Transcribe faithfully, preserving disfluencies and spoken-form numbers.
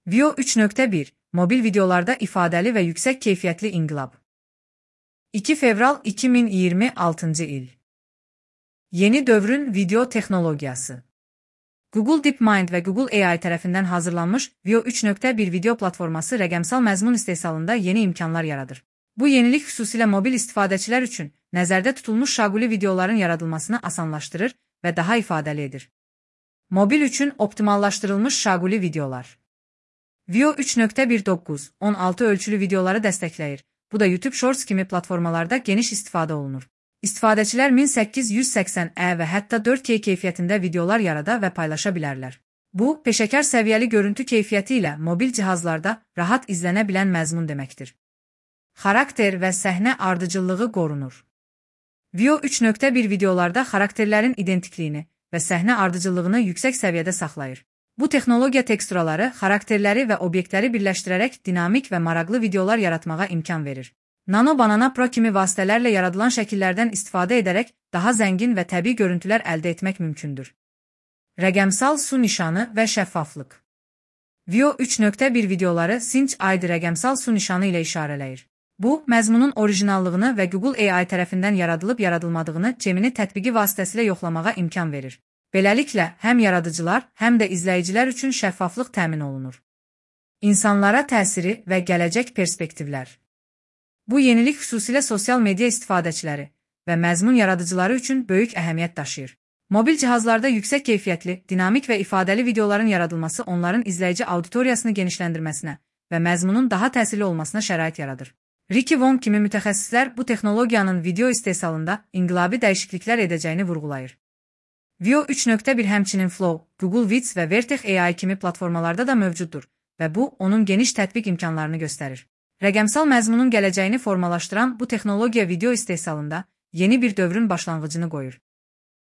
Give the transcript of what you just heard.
Veo üç nöqtə bir Mobil videolarda ifadəli və yüksək keyfiyyətli inqilab. iki fevral iki min iyirmi altıncı il. Yeni dövrün video texnologiyası. Google DeepMind və Google A I tərəfindən hazırlanmış Veo üç nöqtə bir video platforması rəqəmsal məzmun istehsalında yeni imkanlar yaradır. Bu yenilik xüsusilə mobil istifadəçilər üçün nəzərdə tutulmuş şaquli videoların yaradılmasını asanlaşdırır və daha ifadəli edir. Mobil üçün optimallaşdırılmış şaquli videolar. Veo üç nöqtə bir doqquz on altı ölçülü videoları dəstəkləyir. Bu da YouTube Shorts kimi platformalarda geniş istifadə olunur. İstifadəçilər min səkkiz yüz səksən p və hətta dörd K keyfiyyətində videolar yarada və paylaşa bilərlər. Bu, peşəkar səviyyəli görüntü keyfiyyəti ilə mobil cihazlarda rahat izlənə bilən məzmun deməkdir. Xarakter və səhnə ardıcıllığı qorunur. Veo üç nöqtə bir videolarda xarakterlərin identikliyini və səhnə ardıcıllığını yüksək səviyyədə saxlayır. Bu texnologiya teksturaları, xarakterləri və obyektləri birləşdirərək dinamik və maraqlı videolar yaratmağa imkan verir. Nano Banana Pro kimi vasitələrlə yaradılan şəkillərdən istifadə edərək daha zəngin və təbii görüntülər əldə etmək mümkündür. Rəqəmsal su nişanı və şəffaflıq. Veo üç nöqtə bir videoları Cinch I D rəqəmsal su nişanı ilə işarələyir. Bu, məzmunun orijinallığını və Google A I tərəfindən yaradılıb yaradılmadığını Gemini tətbiqi vasitəsilə yoxlamağa imkan verir. Beləliklə, həm yaradıcılar, həm də izləyicilər üçün şəffaflıq təmin olunur. İnsanlara təsiri və gələcək perspektivlər. Bu yenilik xüsusilə sosial media istifadəçiləri və məzmun yaradıcıları üçün böyük əhəmiyyət daşıyır. Mobil cihazlarda yüksək keyfiyyətli, dinamik və ifadəli videoların yaradılması onların izləyici auditoriyasını genişləndirməsinə və məzmunun daha təsirli olmasına şərait yaradır. Ricky Wong kimi mütəxəssislər bu texnologiyanın video istehsalında inqilabi dəyişikliklər edəcəyini vurğulayır. Veo üç nöqtə bir həmçinin Flow, Google Vids və Vertex A I kimi platformalarda da mövcuddur və bu, onun geniş tətbiq imkanlarını göstərir. Rəqəmsal məzmunun gələcəyini formalaşdıran bu texnologiya video istehsalında yeni bir dövrün başlanğıcını qoyur.